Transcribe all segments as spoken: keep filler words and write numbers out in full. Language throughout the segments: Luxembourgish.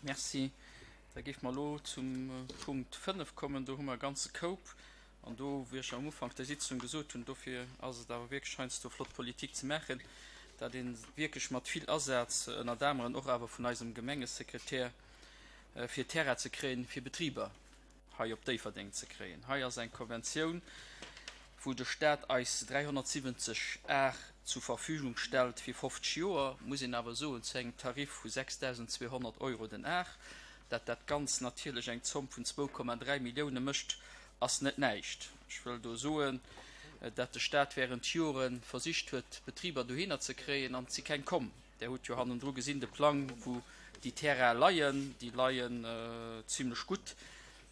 Merci. Da géife mer elo zum Punkt fënnef kommen. Do hu mer e ganze Koup. An do, wéi ech am Ufank der Sitzung gesot hunn, dofir ass et awer wierklech heiansdo flott, Politik ze maachen, dat ee wierklech mat vill Asaz, ënnert aneren och awer vun eisem Gemengesekretär, fir Terrain ze kréien, fir Betriber hei op Déifferdeng ze kréien. Hei ass eng Konventioun, wou de Stat eis dräihonnertsiwwenzeg Ar zur Verfügung stellt fir fofzeg Joer, muss een awer soen, zu engem Tarif vu sechsdausendzweehonnert Euro den Ar. Dat dat Ganzt natierlech eng Zomm vun zwou Komma dräi Millioune mécht, ass net näischt. Ech wëll do soen, dat de Stat während Jore versicht huet, Betriber dohinner ze kréien, an et si keng komm. Der hutt jo hannendru gesinn de Plang, wou déi Terraine leien. Déi leien zimlech gutt.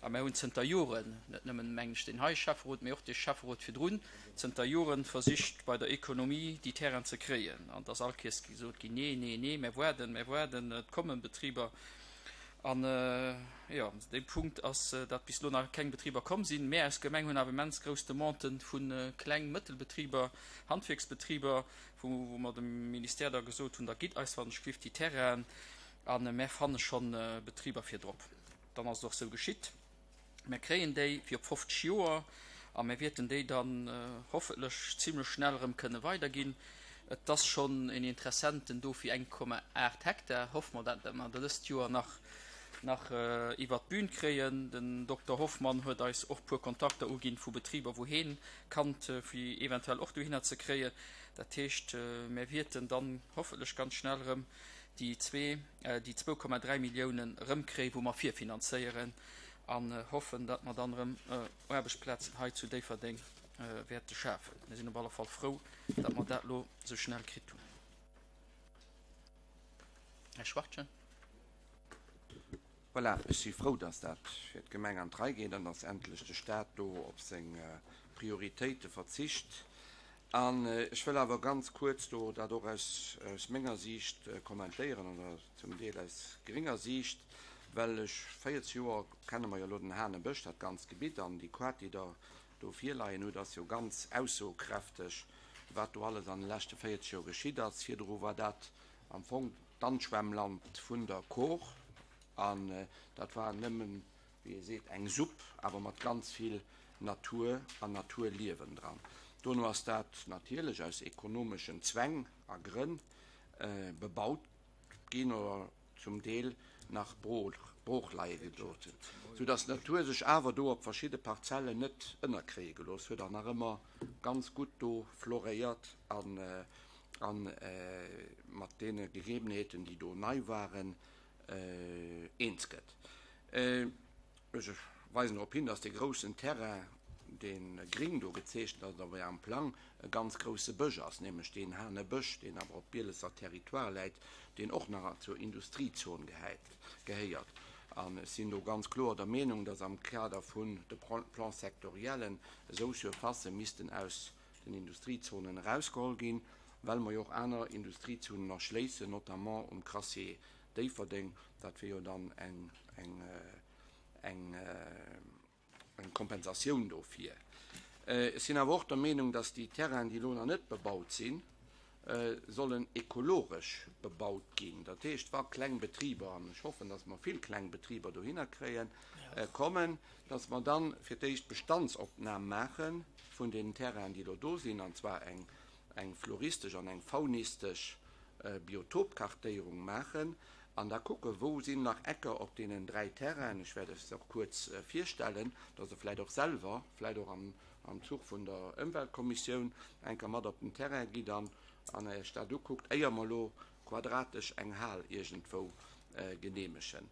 A mär hunn zënter Joren, net nëmmen, mengen ech, deen hei Schäfferot, mee och dee Schäfferot virdrun, zënter Joren versicht, bei der Economie déi Terrainen ze kréien. An et ass all Kees gesot ginn, Nee, nee, nee, mär waarden, mär waarden, et kommen Betriber. An, jo, dee Punkt ass, datt bis elo nach keng Betriber komm sinn. Mär als Gemeng hunn awer immens grouss Demandë vu Kleng-, Mëttelbetriber, Handwierksbetriber, wou mer dem Ministère da gesot hunn, Da gitt eis wann ech glift déi Terrainen a mär fanne schonn Betriber fir drop. Dann ass et och sou geschitt. Mär kréien déi fir op fofzeg Joer a mär wierten déi dann hoffentlech zimlech schnell erëm kënne weiderginn. Et ass schonn en Interessenten do fir eng Komma aacht Hektar. Hoffe mer, dat mer dat dëst Joer nach nach iwwert d'Bün kréien. Den Dokter Hoffmann huet eis och puer Kontakter uginn vu Betriber, wou heen kannt, fir eventuell och dohinner ze kréien. Dat heescht, mär wierten dann hoffentlech ganz schnell erëm déi zwee, déi zwou Komma dräi Milliounen erëmkréien, wou mer virfinanzéieren an hoffen, datt mer dann erëm Aarbechtsplazen hei zu Déifferdeng wäerte schafen. Mir sinn op alle Fall frou, datt mer dat elo esou schnell kritt hunn. Här Schwachtgen. Voilà, ech si frou, datt dat fir d'Gemeng an d'Rei geet an datt endlech de Stat do op seng Prioritéite verzicht. An ech wëll awer ganz kuerz do dat och aus menger Siicht kommentéieren, oder zum Deel aus grénger Siicht, well ech, véierzeg Joer kenne mer jo elo den Hanebësch, dat ganzt Gebitt, an déi Kaart, déi Der do virleien hutt, ass jo ganz aussokräfteg, wat do alles an de leschte véierzeg Joer geschitt ass. Virdru war dat am Fong d'Anschwemmland vun der Kor, an dat war nëmmen, wéi ee seet, eng Supp, awer mat ganz vill Natur an Naturliewen dran. Dono ass dat natierlech aus ekonomeschen Zwäng a Grënn bebaut ginn oder zum Deel nach brooch leie gelooss, sou dass d'Natur sech awer do op verschidde Parzellen net ënnerkréie gelooss huet an nach ëmmer ganz gutt do floréiert a mat deene Gegebenheeten, déi do nei waren, eens gëtt. Ech weisen drop hin, dass dee groussen Terrain, dee gring do gezeechent ass, op Ärem Plang, e ganz grousse Bësch ass, nämlech deen Hanebësch, deen awer op Bielesser Territoire läit, deen och nach zur Industriezon gehéiert. An ech sinn do ganz kloer der Meenung, dass am Kader vun de Plans sectoriellen esou Surfacë missten aus den Industriezonen erausgeholl ginn, well mer jo och aner Industriezonen erschléissen, notamment um Crassier Déifferdeng. Dat wier jo dann eng, eng, eng Kompensatioun dofir. Ech sinn awer och der Meenung, dass déi Terrainen, déi elo nach net bebaut sinn, sollen ekologesch bebaut ginn. Dat heescht, wa kleng Betriber, an ech hoffen, dass mer vill kleng Betriber dohinner kréien, kommen, dass mer dann fir d'éischt Bestandsopnam maache vun deenen Terrainen, déi elo do sinn, an zwar eng eng floristesch an eng faunistesch Biotopkartéierung maachen an da kucken, wou sinn nach Ecker op deenen dräi Terrainen, ech wäert lech se och kuerz virstellen, dass Der vläicht och selwer, vläicht och am Zuch vun der Ëmweltkommissioun, eng Kéier mat op den Terrain gitt an Iech dat ukuckt, éier mer elo quadratesch eng Hal iergendwou geneemegen.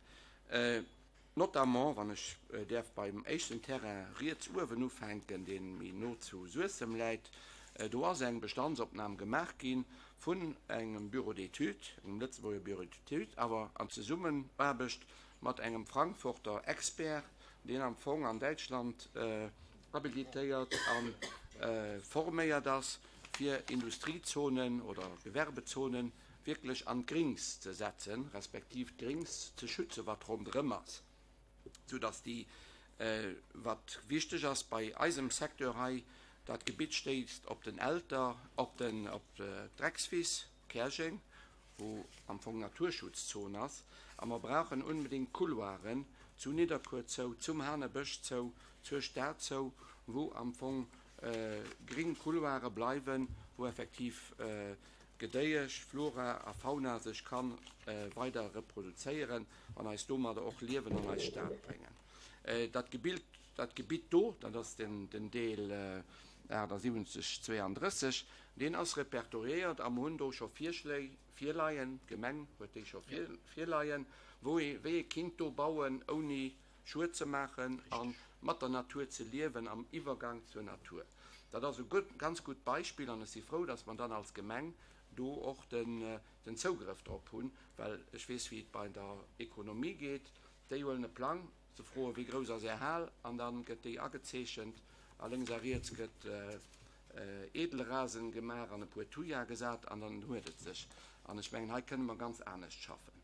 Notamment, wann ech däerf beim éischten Terrain riets uewen ufänken, dee méi no zu Suessem läit, do ass eng Bestandsopnam gemaach gi vun engem Bureau d'études, engem Lëtzebuerger Bureau d'études, awer an Zesummenaarbecht mat engem Frankfurter Expert, deen am Fong an Däitschland habilitéiert a forméiert ass, fir Industriezonen oder Gewerbezonen wierklech an d'Grings ze setzen, respektiv d'Grings ze schützen, wat ronderëm ass, soudass déi, wat wichteg ass bei eisem Secteur hei, dat Gebitt stéisst op den Elter, op den, op d'Dreckswiss, Käerjeng, wou am Fong Naturschutzzon ass, A mer brauchen unbedéngt Couloiren zu Nidderkuer zou, zum Hanebësch zou, zur Stad zou, wou am Fong gring Couloire bleiwen, wou effektiv Gedéiesch, Flora a Fauna sech ka weider reproduzéieren an eis domadder och Liewen an eis Stad bréngen. Dat Gebilt, dat Gebitt do, dat ass den, den Deel achtasiwwenzeg zweeandrësseg, deen ass repertoriéiert a mer hunn do scho Virschléi virleien, d'Gemeng huet déi scho virleien, wou ee, wéi ee kinnt do bauen, ouni Schued ze maachen a mat der Natur ze liewen am Iwwergang zur Natur. Dat ass e ganz gutt Beispill an ech si frou, dass mer dann als Gemeng do och den Zougrëff drop hunn, well ech weess, wéi et bei der Ekonomie geet. Déi huelen e Plang, se froen, wéi grouss ass Är Hal, an da gëtt déi agezeechent a lénks a riets gëtt Edelrasen gemaach an e puer Thuja gesat an dann huet et sech. An ech mengen, hei kënne mer ganz anescht schaffen.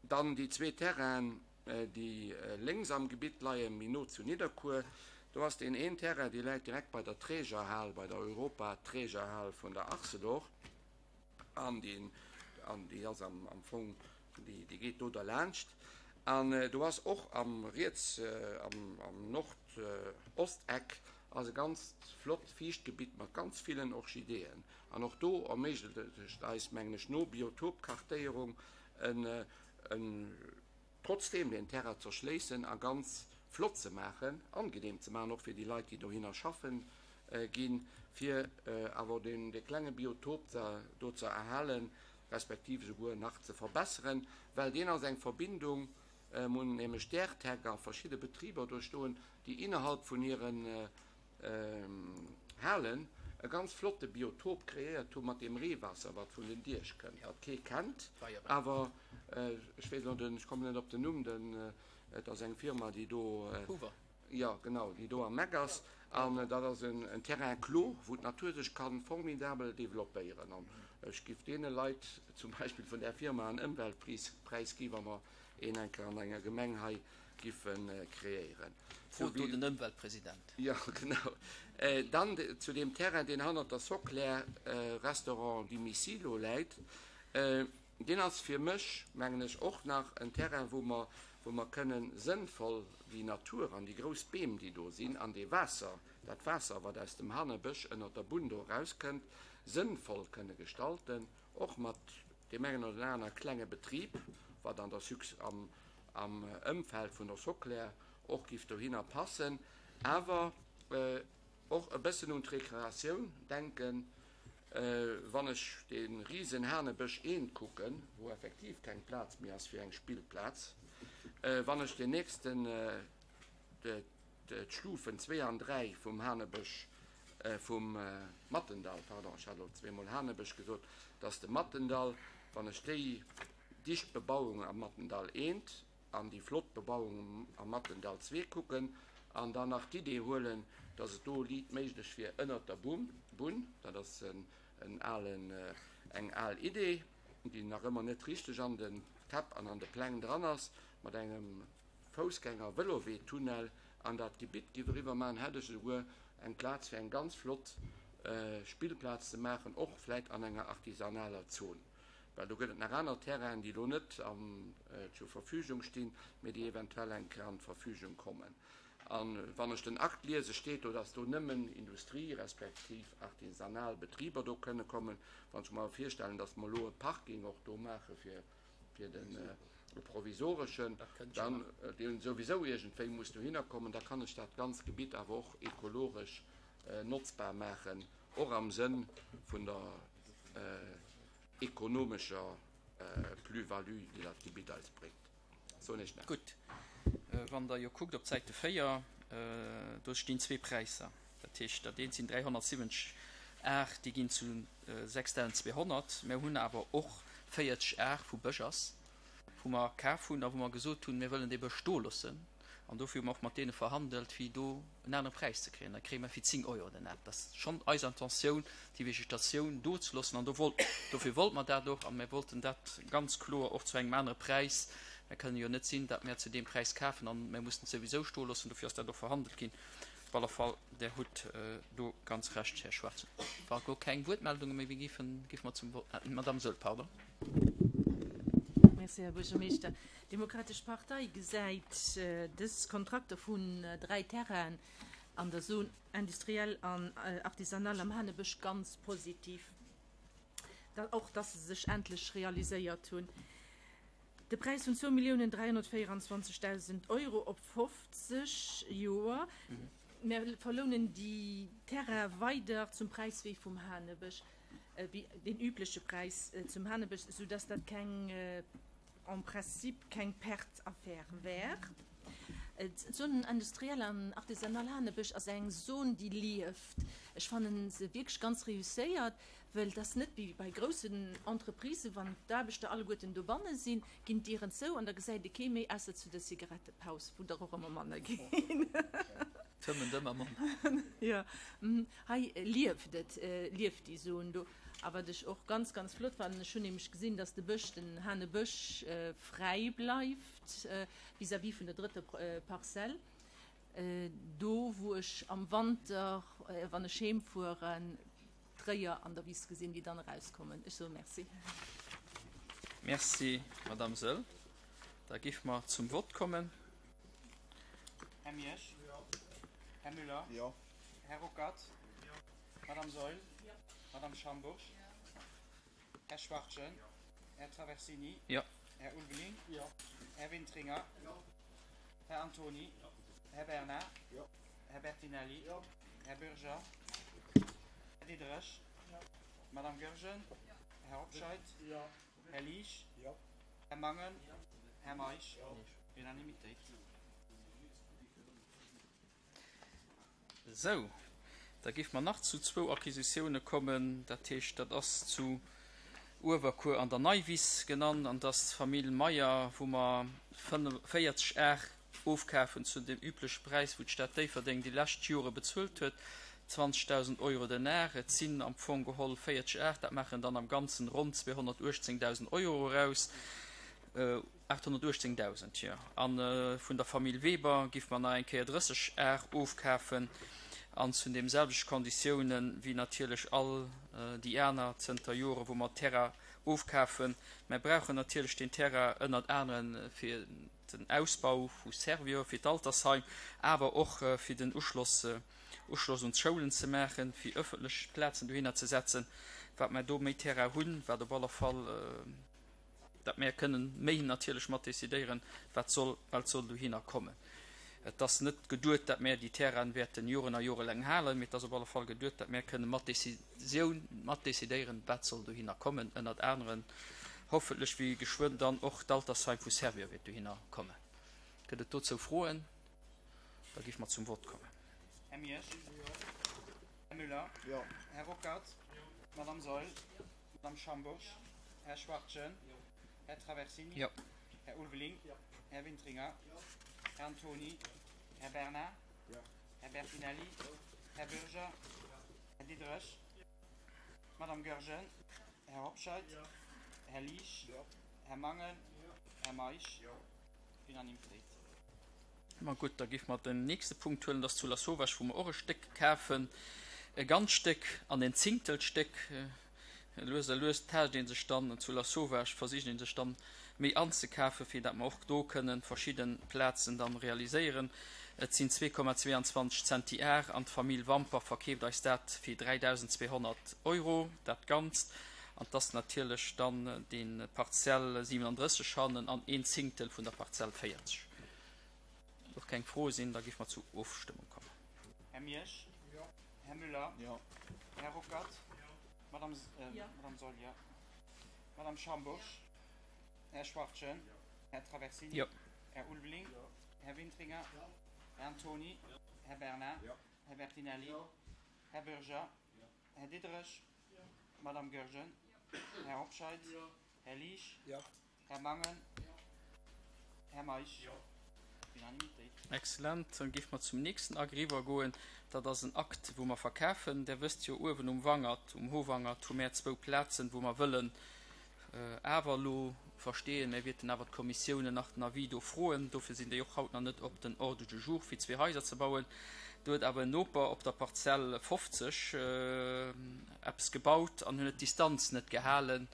Dann déi zwee Terrainen, déi lénks am Gebitt leien, méi no zu Nidderkuer. Do ass deen een Terrain, dee läit direkt bei der Trägerhal, bei der Europa-Trägerhal vun der Arcelor. An déi, an déi ass am, am Fong, déi, déi geet do derlaanscht. An do ass och am riets, am, am Nord-Ost-Eck ass e ganzt flott Fiichtgebitt mat ganz villen Orchideeën. An och do erméiglecht eis, mengen ech, no Biotopkartéierung en, en, trotzdeem deen Terrain z'erschléissen a ganz flott ze maachen, angenehm ze maachen, och fir déi Leit, déi dohinner schaffen ginn, fir awer deen, dee klenge Biotop do ze erhalen, respektiv esouguer nach ze verbesseren, well deen ass eng Verbindung, mir hunn nämlech d'Airtec a verschidde Betriber do stoen, déi innerhalb vun hiren Halen e ganz flotte Biotop kreéiert hu mat deem Reewaasser, wat vun den Diech kënnt, wat kee kennt, awer ech weess elo den, ech kommen net op den Numm, den, et ass eng Firma, déi do, Hoover. Jo, genau, déi do am Eck ass. An dat ass en Terrain clos, wou d'Natur sech ka formidabel developpéieren. An ech giff deene Leit zum Beispill vun där Firma en Ëmweltpräis gi, wa mer een eng Kéier an enger Gemeng hei giffe kreéieren. Frot do den Ëmweltpresident. Jo, genau. Dann zu deem Terrain, deen hannert der Soclair, Restaurant Dimicilo läit. Deen ass fir mech, mengen ech, och nach en Terrain, wou mer, wou mer kënnen sënnvoll déi Natur an déi grouss Beem, déi do sinn, an dee Waasser, dat Waasser, wat aus dem Hanebësch ënnert der Bunn do erauskënnt, sënnvoll kënne gestalten, och mat deem engen oder aner klenge Betrib, wat an der Suc-, am, am Ëmfeld vun der Soclair och giff dohinner passen, awer och e bëssen un d'Rekreatioun denken. Wann ech dee risen Hanebësch eent kucken, wou effektiv keng Plaz méi ass fir eng Spillplaz, wann ech deen nächsten, d'Stufen zwee an dräi vum Hanebësch, vum Mattendall, pardon, ech hat elo zweemol Hanebësch gesot, dass de Mattendall, wann ech déi dicht Bebauung am Mattendall eent an déi flott Bebauung am Mattendall zwee kucken an dann nach d'Idee huelen, dass et do liit méiglech wier ënnert der Bunn, dat ass en alen, eng al Idee, déi nach ëmmer net richteg an de Käpp an an de Pläng dran ass, mat engem Foussgänger-Vëlowee-Tunnel an dat Gebitt giff eriwwer maachen, hätt ech esouguer eng Plaz fir eng ganz flott Spillplaz ze maachen, och vläit an enger artisanaler Zon, well do gëtt et nach aner Terrainen, déi elo net zur Verfügung stinn, mee déi eventuell eng Kéier an d'Verfügung kommen. A wann ech den Akt liese steet do, dass do nëmmen Industrie respektiv artisanal Betriber do kënne kommen. Wann ech mer awer virstellen, dass mer elo e Parking och do maache fir fir den e provisoreschen, dann, deen souwisou iergendwéi muss dohinner kommen, da kann ech dat ganz Gebitt awer och ekologesch notzbar maachen, och am Sënn vun der ekonomescher Plus-value, déi dat Gebitt eis bréngt. Soen ech nach. Gutt, wann Der jo kuckt op d'Säite véier, do stinn zwee Präisser. Dat heescht, dat eent sinn dräihonnertsiwwenzeg Ar, déi ginn zu sechstausendzweehonnert. Mir hunn awer och véierzeg Ar vu Bësch ass, wou mer kaf hunn a wou mer gesot hunn, mir wëllen dee Bësch stoe loossen. An dofir hu mer och mat deene verhandelt, fir do en anere Präis ze kréien. Da kréie mer fir zéng Euro den Ar. Dat ass schonn eis Intentioun, déi Vegetatioun do ze loossen. An do wollt, dofir wollte mer dat och. A mir wollten dat ganz kloer och zu engem anere Präis. Mir kënnen jo net sinn, datt mir zu deem Präis kafen an mir mussen et souwisou stoe loossen. Dofir ass dat och verhandelt ginn. Op alle Fall, Der hutt do ganz Recht, Här Schwarz. Wa elo keng Wuertmeldunge méi géifen, géife mer zum Vott. D'Madame Saeul, pardon. Merci, Här Buergermeeschter. D'Demokratesch Partei gesäit dës Kontrakter vun dräi Terrainen an der Zone industrielle an artisanale am Hanebësch ganz positiv, och dass se sech endlech realiséiert hunn. De Präis vun zwou Milliounen dräihonnertvéierundzwanzegdausend Euro op fofzeg Joer. Mir verlounen déi Terraine weider zum Präis wéi vum Hanebësch, wéi deen übleche Präis zum Hanebësch, soudass dat keng, en principe keng Perte-Affaire wär. D'Zone industrielle an artisanale Hanebësch ass eng Zone, déi lieft. Ech fanne se wierklech ganz reusséiert, well et ass net wéi bei groussen Entreprisen, wann d'Aarbechter alleguerten dobanne sinn, ginn d'Dieren zou an da gesäit ee kee méi, ausser zu der Zigarettepaus, wou der och ëmmer manner ginn. Fëmmen ëmmer manner. Jo, hei lieft et, lieft déi Zone do. A wat ech och ganz, ganz flott fannen, ech hunn nämlech gesinn, dass de Bësch, den Hanebësch fräi bleift vis-à-vis vun der drëtter Parzell, do wou ech am Wanter, wann ech heem fueren, d'Réier an der Wiss gesinn, déi dann erauskommen. Ech soe Merci. Merci, Madame Sëll. Da géife mer zum Vott kommen. Här Miersch? Jo. Här Müller? Jo. Här Ruckert? Jo. Madame Saeul? Jo. Madame Schambourg? Jo. Här Schwachtgen? Jo. Här Traversini? Jo. Här Ulveling? Jo. Här Wintringer? Jo. Här Antoni? Jo. Här Bernard? Jo. Här Bertinelli? Jo. Här Bürger? Här Diderich? Jo. Madame Goergen? Jo. Här Hobscheit? Jo. Här Liesch? Jo. Här Mangen? Jo. Här Meisch? Jo. Unanimitéit. Sou, da géife mer nach zu zwou Acquisitioune kommen. Dat heescht, dat ass zu Uewerkuer an der Neiwiss genannt, an dat ass d'Famill Meyer, wou mer véierzeg Ar ofkafen zu deem übleche Präis, wou d'Stad Déifferdeng déi lescht Jore bezuelt huet, zwanzegdausend Euro den Ar. Et sinn am Fong geholl véierzeg Ar, dat maachen dann am Ganzen ronn zweehonnertuechtzéngdausend Euro eraus. aathonnertuechtzéngdausend, jo. A vun der Famill Weber géife mer nach eng Kéier drësseg Ar ofkafen an zu deem selwechte Konditiounen wéi natierlech all déi aner zënter Jore wou mer Terrain ofkafen. Mer brauchen natierlech deen Terrain ënnert anere fir den Ausbau vu Servior, fir d'Altersheim, awer och fir den Uschloss Uschloss un d'Schoulen ze maachen, fir ëffentlech Plazen dohinner ze setzen. Wat mer do méi Terrain hunn, wat op alle Fall dat mer kënnen méi natierlech mat decidéieren, wat soll, wat soll dohinner kommen. Et ass net geduet, dat mer déi Terrainen wäerten Joren a jorelaang halen, mee et ass op alle Fall geduet, dat mer kënnen mat Decisioun, mat decidéieren, wat soll dohinner kommen, ënnert aneren hoffentlech wéi geschwënn dann och d'Altersheim vu Servior wäert dohinner kommen. Gëtt et dozou Froen? Da géife mer zum Vott kommen. Här Miersch? Här Müller? Jo. Här Ruckert? Madame Saeul? Madame Schambourg? Här Schwachtgen? Här Traversini? Jo. Här Ulveling? Jo. Här Wintringer? Jo. Här Antoni? Här Bernard? Jo. Här Bertinelli? Här Bürger? Här Diderich? Madame Goergen? Här Hobscheit? Jo. Här Liesch? Jo. Här Mangen? Jo. Här Meisch? Jo. Unanimitéit. Ma gutt, da géife mer den nächste Punkt huelen, dat ass zu Lasauvage, wou mer och e Stéck kafen, e ganz Stéck an en Zéngtelstéck. Lues a lues taascht ee sech dann zu Lasauvage, versicht ee sech dann méi anzekafen, fir dat mer och do kënnen verschidde Plazen dann realiséieren. Et sinn zwee Komma zweiundzwanzeg Zentiar an d'Famill Wamper verkeeft eis dat fir dräidausenzweehonnert Euro, dat Ganzt. An et ass natierlech dann dee Parzell siewenunddrësseg hannen an een Zéngtel vun der Parzell véierzeg. Och keng Froe sinn, da géife mer zur Ofstëmmung kommen. Här Miersch? Jo. Här Müller? Jo. Här Ruckert? Madame, äh, Jo. Madame Saeul, jo. Madame Schambourg? Här Schwachtgen? Här Traversini? Jo. Här Ulveling? Jo. Här Wintringer? Jo. Här Antoni? Här Bernard? Jo. Här Bertinelli? Jo. Här Bürger? Här Diderich? Madame Goergen? Här Hobscheit? Jo. Här Liesch? Jo. Här Mangen? Här Meisch? Jo. Unanimitéit. Excellent. Dann géife mer zum nächsten Akt eriwwergoen. Dat ass en Akt, wou mer verkafen. Der wësst jo, uewen um Wangert, um Howangert, hu mer zwou Plazen, wou mer wëllen awer elo verstehen, mir wäerten awer d'Kommissiounen nach den Avis do froen. Dofir sinn déi och haut nach net op den Ordre du jour, fir zwee Haiser ze bauen. Do huet awer en Noper op der Parzell fofzeg eppes gebaut an hunn et d'Distanz net gehalen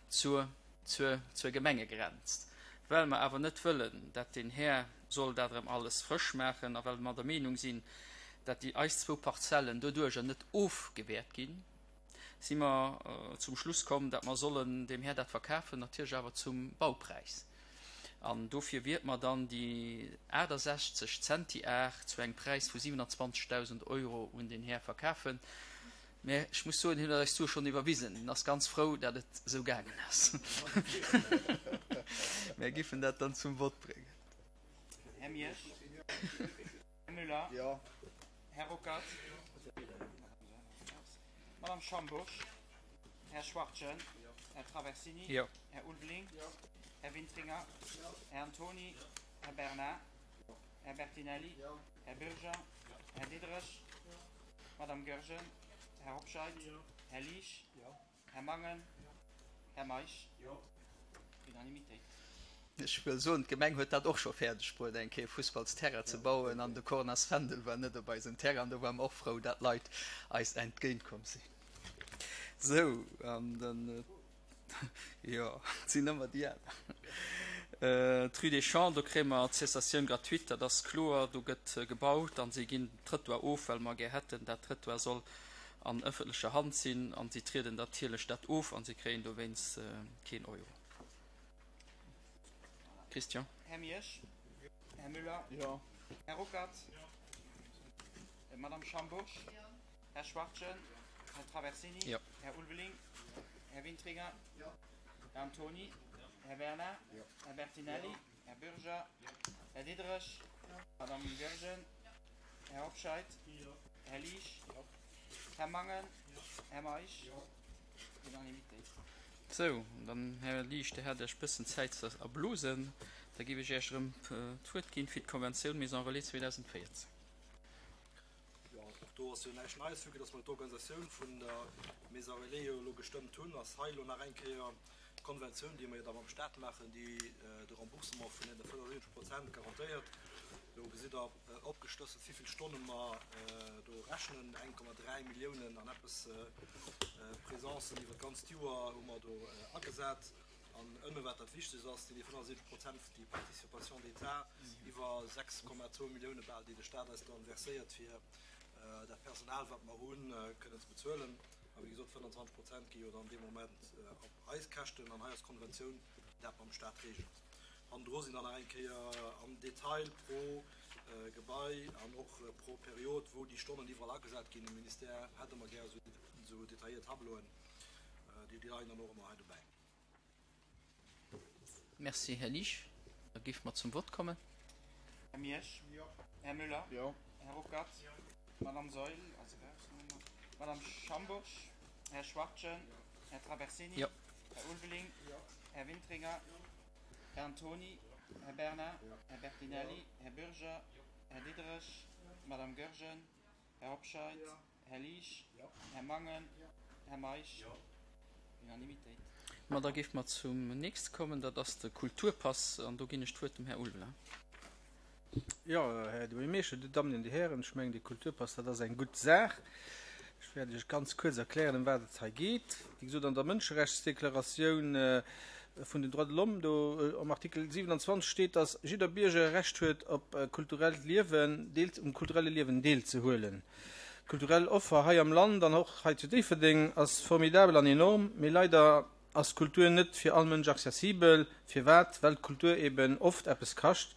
zur zur, zur Gemengegrenz. Well mer awer net wëllen, dat den Här soll dat erëm alles frësch maachen a well mer der Meenung sinn, dat déi eis zwou Parzellen doduercher net ofgewäert ginn, si mer zum Schluss komm, dat mer sollen dem Här dat verkafen, natierlech awer zum Baupräis. An dofir wiert mer dann déi aachtasechzeg Zentiar zu engem Präis vu siwenanzwanzegdausend Euro un den Här verkafen. Mä ech muss soen, hien huet eis d'Sue schonn iwwerwisen. Hien ass ganz frou, dat et esou gaangen ass. Mär giffen dat dann zum Vott bréngen. Här Miersch. Här Müller. Jo. Här Ruckert. Madame Schambourg. Här Schwachtgen. Här Traversini. Jo. Här Ulveling. Här Wintringer. Här Antoni. Här Bernard. Här Bertinelli. Här Bürger. Här Diderich. Madame Goergen. Här Hobscheit. Här Liesch. Här Mangen. Här Meisch. Unanimitéit. Ech wëll soen, d'Gemeng huet dat och scho fäerdeg bruet, eng Kéier e Fussballsterrain ze bauen, an de Cornas Fändel war net op eisem Terrain. Do ware mer och frou, dat Leit eis entgéintkomm sinn. Sou, an dann, jo, et sinn ëmmer déi aner. D'Rue des Champs, do kréie mer d'Cessatioun gratuite, dat ass kloer. Do gëtt gebaut a si ginn den Trëttoir of, well mer gär hätten, dat Trëttoir soll an ëffentlecher Hand sinn. A si trieden natierlech dat of a si kréien dowéinst keen Euro. Christian. Här Miersch. Här Müller. Jo. Här Ruckert. Madame Schambourg. Här Schwachtgen. Här Traversini. Jo. Här Ulveling. Här Wintringer. Här Antoni. Här Bernard. Här Bertinelli. Här Bürger. Här Diderich. Madame Goergen. Här Hobscheit. Här Liesch. Här Mangen. Här Meisch. Unanimitéit. Sou, dann, Här Liesch, Dir hat Iech bëssen Zäit ze erblosen. Da géif ech Iech erëm d'Wuert ginn fir d'Konventioun Maison Relais zweedausendvéierzéng. Jo, och do ass jo näischt Neies, vue que dass mer d'Organisatioun vun der Maison Relais jo elo gestëmmt hunn, ass hei elo nach eng Kéier d'Konventioun, déi mer jo da mam Stat maachen, déi de Remboursement vun deene fënnefundsiwwenzeg Prozent garantéiert. Do gesitt Der opgeschlësselt, wéi vill Stonne mer do rechnen, eng Komma dräi Milliounen an eppes Presencen iwwer d'ganzt Joer hu mer do agesat. An ënne wat dat Wichtegst ass, déi fënnefundsiwwenzeg Prozent, déi Participation d'État iwwer sechs Komma zwou Millioune bal, déi de Stat eis dann verséiert, fir dat Personal, wat mer hunn, kënnen ze bezuelen. A wéi gesot, fënnfanzwanzeg Prozent gi jo dann dee Moment op eis Käschten an hei ass d'Konventioun, déi dat mam Stat regelt. Hannendru sinn dann nach eng Kéier am Detail pro Gebai an och pro Period, wou déi Stonnen iwwerall agesat ginn. De Ministère hätt ëmmer gär esou detailléiert Tableauen, déi leien dann och ëmmer hei dobäi. Merci, Här Liesch. Da géife mer zum Vott kommen. Här Miersch. Här Müller. Jo. Här Ruckert. Madame Saeul, also Madame Schambourg. Här Schwachtgen. Här Traversini. Jo. Här Ulveling. Här Wintringer. Här Antoni. Här Bernard. Här Bertinelli. Här Bürger. Här Diderich. Madame Goergen. Här Hobscheit. Här Liesch. Här Mangen. Här Meisch. Unanimitéit. Ma da géife mer zum nächste kommen, dat ass de Kulturpass, an do ginn ech d'Wuert dem Här Ulveling. Jo, Här Buergermeeschter, Dir Dammen an Dir Hären, ech mengen, de Kulturpass, dat ass eng gutt Saach. Ech wäert Iech ganz kuerz erklären, ëm wat et hei geet. Wéi gesot, an der Mënscherechtsdeklaratioun vun den Droits de l'Homme, do am Artikel siewenundzwanzeg steet, dass jidder Bierger e Recht huet op kulturellt Liewen, deel, um kulturelle Liewen deelzehuelen. D'kulturell Offer hei am Land an och hei zu Déifferdeng ass formidabel an enorm, mee leider ass Kultur net fir all Mënsch accessibel. Firwat? Well d'Kultur eben oft eppes kascht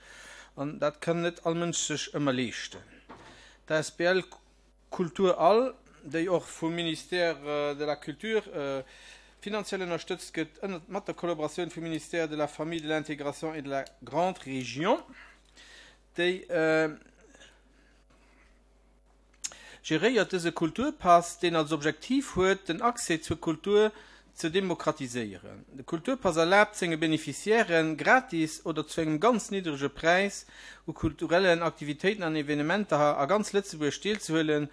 an dat kann net all Mënsch sech ëmmer leeschten. D'A S B L Kultur All, déi och vum Ministère de la Culture finanziell ënnerstëtzt gëtt, ënnert mat der Kollaboratioun vum Ministère de la Famille, de l'Intégration et de la Grande Région, déi geréiert dëse Kulturpass, deen als Objektiv huet, den Accès zur Kultur ze demokratiséieren. De Kulturpass erlaabt senge Beneficiairen, gratis oder zu engem ganz niddrege Präis u kulturellen Aktivitéiten an Evenementer a ganz Lëtzebuerg deelzehuelen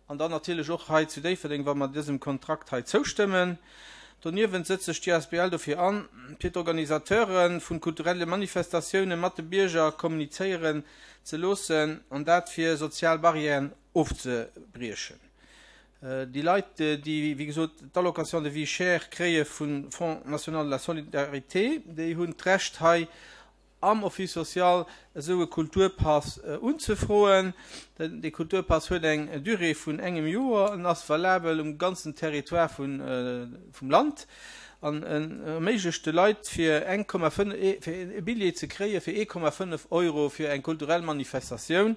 an dann natierlech och hei zu Déifferdeng, wa mer dësem Kontrakt hei zoustëmmen. Doniewent setzt sech d'A S B L dofir an, fir d'Organisateure vun kulturelle Manifestatioune mat de Bierger kommunizéieren ze loossen an dat fir sozial Barrièren ofzebriechen. Déi Leit, déi, wéi gesot, d'Allocation de vie chère kréie vum Fonds national de la solidarité, déi hunn d'Recht hei am Office social esou e Kulturpass unzefroen. Dee Kulturpass huet eng Durée vun engem Joer en ass valabel um ganzen Territoire vum Land an en erméiglecht de Leit fir eng Komma fënnef, fir e Billjee ze kréie fir ee Komma fënnef Euro fir eng kulturell Manifestatioun.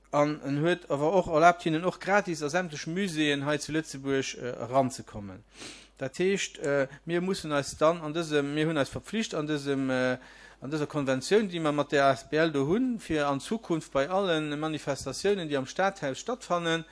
An en huet awer och erlaabt hinnen och gratis a sämtlech Muséeën hei zu Lëtzebuerg eranzekommen. Dat heescht, mir mussen eis dann an dësem, mir hunn eis verpflicht an dësem, an dëser Konventioun, déi mer mat där asbl do hunn, fir an Zukunft bei alle Manifestatiounen, déi am Stadhaus stattfannen,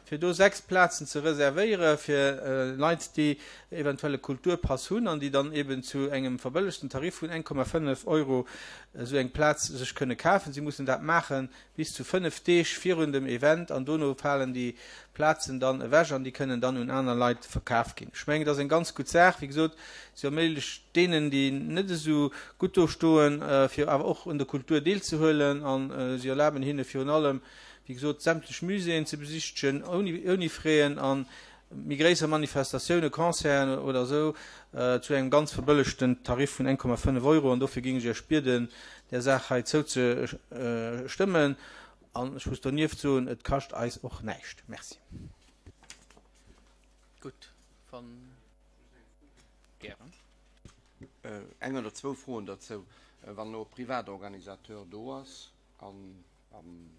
fir do sechs Plazen ze reservéiere fir Leit, déi eventuell e Kulturpass hunn an déi dann eben zu engem verbëllegten Tarif vun eng Komma fënnef Euro esou eng Plaz sech kënne kafen. Si mussen dat maache bis zu fënnef Deeg virun dem Event an dono falen déi Plazen dann ewech an déi kënnen dann un aner Leit verkaf ginn. Ech mengen, dat ass eng ganz gutt Saach. Wéi gesot, se erméiglecht deenen, déi net esou gutt do stoen, fir awer och un der Kultur deelzehuelen a si erlaben hinne virun allem, wéi gesot, sämtlech Muséeën ze besichtegen ouni Fräen a méi gréisser Manifestatiounen, Concerten oder esou, zu engem ganz verbëllegten Tarif vun eng Komma fënnef Euro. An dofir géing ech Iech bieden, där Saach hei zouzestëmmen. An ech muss donieft soen, et kascht eis och näischt. Merci. Gutt, wann gären. Eng oder zwou Froen derzou. Wann elo e Privatorganisateur do ass an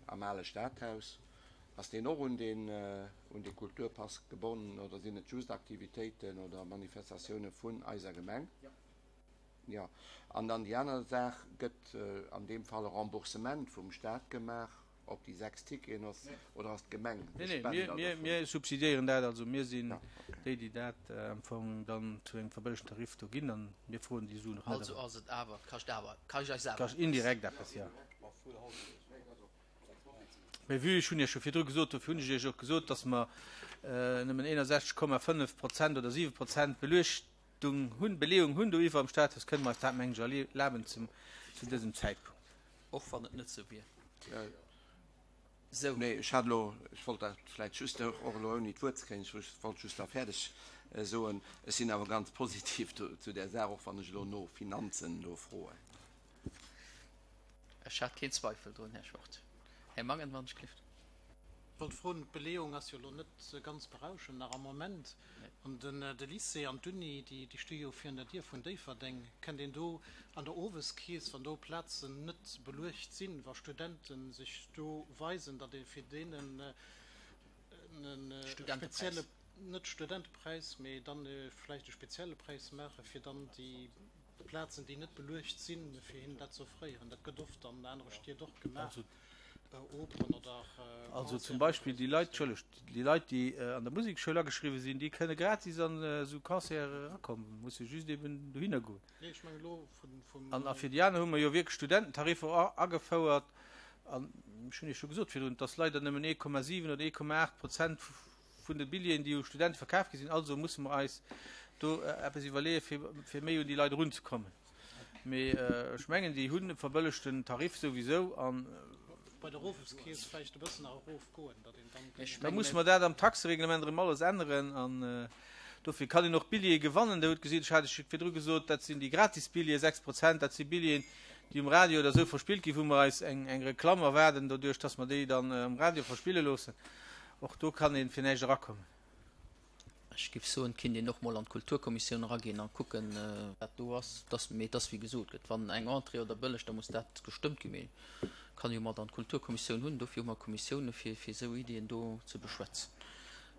am ale Stadhaus, ass deen och un deen, un dee Kulturpass gebonnen oder sinn et just Aktivitéiten oder Manifestatioune vun eiser Gemeng? Jo. An dann déi aner Saach, Gëtt an deem Fall e Remboursement vum Staat gemaach op déi sechs Ticketen oder ass d'Gemeng de Nee, nee, Spender mir, dovun? mir subsidiéieren dat. Also mir sinn Ja, okay. déi, déi dat am Fong dann zu engem verbëllegten Tarif do ginn an mir froen déi Suen och net Also erëm. ass et awer, kascht awer, kascht eis awer Kascht eppes. indirekt eppes, jo. Mee vue, ech hunn Iech scho virdru gesot, dofir hunn ech Iech och gesot, dass mer nëmmen eenundsechzeg Komma fënnef Prozent oder siwe Prozent Beluechtung hunn, Beleeung hunn do iwwer am Stadhaus, kënne mer eis dat, mengen ech, erlaben zum, zu dësem Zäitpunkt. Och wann et net esou wier. Esou. Nee, ech hat elo, ech wollt dat vläicht just och elo ouni d'Wuert ze kréien, ech wollt just da fäerdeg soen, ech sinn awer ganz positiv zu där Saach, och wann ech elo no Finanzen do froen. Ech hat keen Zweifel drun, Här Schwartz. Här Mangen, wann ech gelift. Ech wollt froen, d'Beleeung ass jo elo net ganz berauschend nach am Moment. An de Lycée an d'Uni, déi sti jo virun der Dier vun Déifferdeng. Kënnt een do an der Oweskeess, wann do Plazen net beluecht sinn, wa Studente sech do weisen, datt ee fir deenen e spezielle, net Studentepräis, mee dann vläicht e spezielle Präis maachen, fir dann déi Plazen, déi net beluecht sinn, fir hinnen dat ze offréieren? Dat gëtt oft an anere Stied och gemaach, Operen oder Also zum Beispill déi Leit, Entschëllegt, déi Leit, déi an der Musekschoul ageschriwwen sinn, déi kënne gratis an esou Concerte erakommen, musse just eben dohinner goen. Nee, ech mengen elo vum. An a fir déi aner hu mer jo wierklech Studententariffer agefouert. An ech hunn Iech scho gesot virdrun, et ass leider nëmmen ee Komma siwen oder ee Komma aacht Prozent vun de Billjeeën, déi u Studente verkaf gi sinn. Also musse mer eis do eppes iwwerleeën, fir, fir méi un déi Leit erunzekommen. Mee ech mengen, déi hunn e verbëllegten Tarif souwisou. An Bei der Oweskeess vläicht e bëssen nach erofgoen, datt een dann Ech da mengen, musse mer dat am Taxereglement erëm alles änneren. An dofir kann een och Billjeeë gewannen. Der hutt gesinn, ech hat Iech virdru gesot, dat sinn déi gratis Billjeeë, sechs Prozent, dat si Billjeeën, déi um Radio oder esou verspillt ginn, wou mer eis eng, eng Reklamm erwaarden, doduerch datt mer déi dann am Radio verspille loossen. Och do kann ee fir näischt erakommen. Ech géif soen, et kinnt een och mol an d'Kulturkommissioun eraginn a kucken, wat do ass. Dass, mee et ass wéi gesot gëtt, wann eng Entrée oder bëlleg, da muss dat gestëmmt ginn. Mee kann jo mat an d'Kulturkommissioun hunn. Dofir hu mer Kommissioune fir, fir esou Iddien do ze beschwätzen.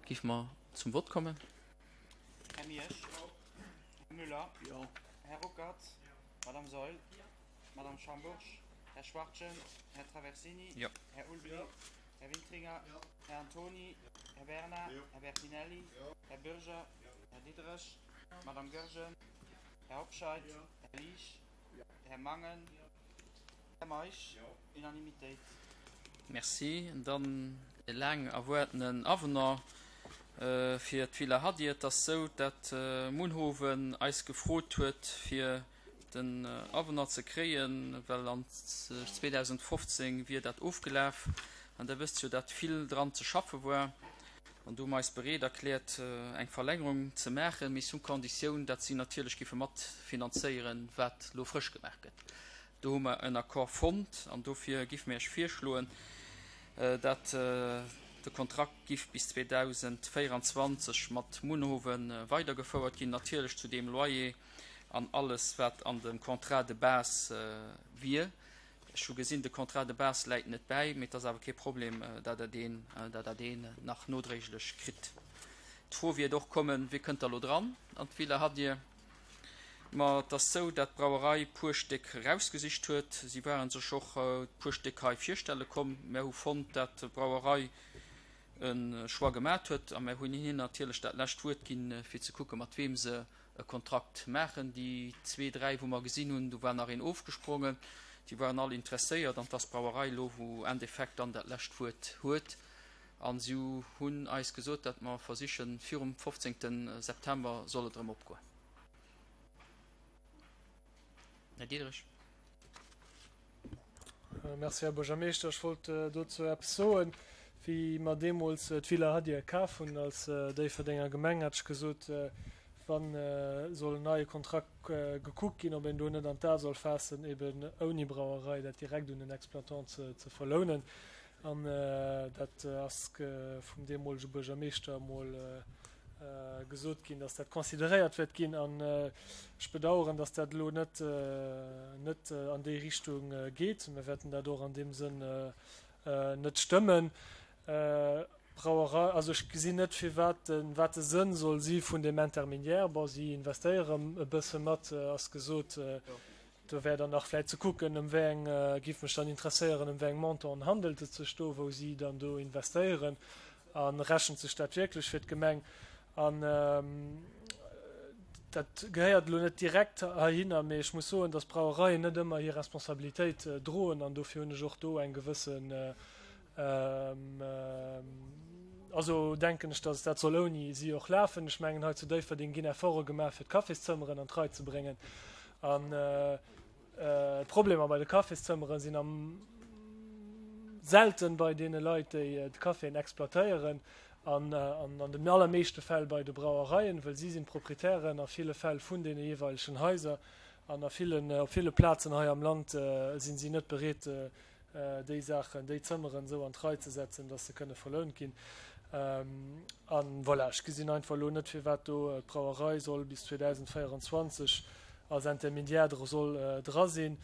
Géife mer zum Vott kommen? Här Miersch. Här Müller. Här Ruckert. Madame Saeul. Madame Schambourg. Här Schwachtgen. Här Traversini. Här Ulbli. Här Wintringer. Här Antoni. Här Bernard. Här Bertinelli. Här Bürger. Här Diderich. Madame Goergen. Här Hobscheit. Här Liesch. Här Mangen. Här Meisch. Unanimitéit. Merci. Dann e laang erwaartenen Avenant fir d'Villa Hadi. Et ass sou, dat Munhowen eis gefrot huet, fir den Avenant ze kréien, well an zweedausendfofzéng wier dat ofgelaf. An Der wësst jo, dat vill dran ze schaffe war. An do hu mer eis bereet erkläert, eng Verlängerung ze maachen, mee sous Konditioun, dat si natierlech géife matfinanzéieren, wat elo frësch gemaach gëtt. Do hu mer en Accord fonnt an dofir géife mir Iech virschloen, dat de Kontrakt giff bis zweedausendvéieranzwanzeg mat Munhowen weidergefouert ginn, natierlech zu deem Loyer an alles, wat an dem Contrat de base wier. Ech hu gesinn, de Contrat de base läit net bäi, mee et ass awer kee Problem, datt Der deen, datt Der deen nach nodréiglech kritt. D'Fro wiert och kommen, Wie kënnt da lo dran an d'Villa Hadir? Ma et ass sou, dat d'Brauerei puer Stéck erausgesicht huet. Si ware sech och puer Stéck hei virstelle komm. Mär hu fonnt, dat d'Brauerei e Choix gemat huet a mär hunn hinnen natierlech dat lescht Wuert ginn, fir ze kucke mat weem se e Kontrakt maachen. Déi zwee, dräi, wou mer gesinn hunn, do war nach een ofgesprongen, déi waren all interesséiert an 't ass d'Brauerei elo, wou Endeffekt dann dat lescht Wuert huet. A si hunn eis gesot, datt mer versichen, virum fofzéngte September soll et erëm opgoen. Här Diderich. Merci, Här Buergermeeschter. Ech wollt dozou eppes soen. Wéi mer deemools d'Villa Hadir kaf hunn als Déifferdenger Gemeng, hat ech gesot, wa soll en neie Kontrakt gekuckt ginn, ob een do net an d'A soll faassen, eben ouni Brauerei dat direkt un den Exploitant ze verlounen. An dat ass vum deemolege Buergermeeschter emol gesot ginn, dass dat consideréiert wäert ginn. An ech bedauern, dass dat elo net net an déi Richtung geet. Mir wäerten dat och an deem Sënn net stëmmen. Brauerei, also ech gesinn net, firwat de, wat de Sënn soll si vun deem Intermédiaire. Bon, si investéiere e bësse mat, ass gesot. Do wär dann nach vläicht ze kucken, ëm wéi eng, géif mech dann interesséieren, ëm wéi eng Montanten handelt et sech do, wou si dann do investéieren a rechent sech dat wierklech fir d'Gemeng. An dat gehéiert elo net direkt heihinner, mee ech muss soen, dass d'Brauereien net ëmmer hir Responsabilitéit droen an dofir hunn ech och do eng gewëssen, also denken ech, dass dat soll ouni si och lafen. Ech mengen, hei zu Déifferdeng ginn Efforte gemaach, fir d'Cafészëmmeren an d'Rei ze bréngen. An d'Problemer bei de Cafészëmmere sinn am selten bei deene Leit, déi d'Caféen exploitéieren an an den allermeeschte Fäll bei de Brauereien, wëll si sinn d'Proprietären a ville Fäll vun deene jeeweilegen Haiser an a villen, op ville Plazen hei am Land sinn si net bereet, déi Saachen, déi Zëmmeren esou an d'Rei ze setzen, dass se kënne verlount ginn. A voilà, ech gesinn einfach elo net, firwat do d'Brauerei soll bis zweedausendvéierundzwanzeg als Intermédiaire dra soll dra sinn.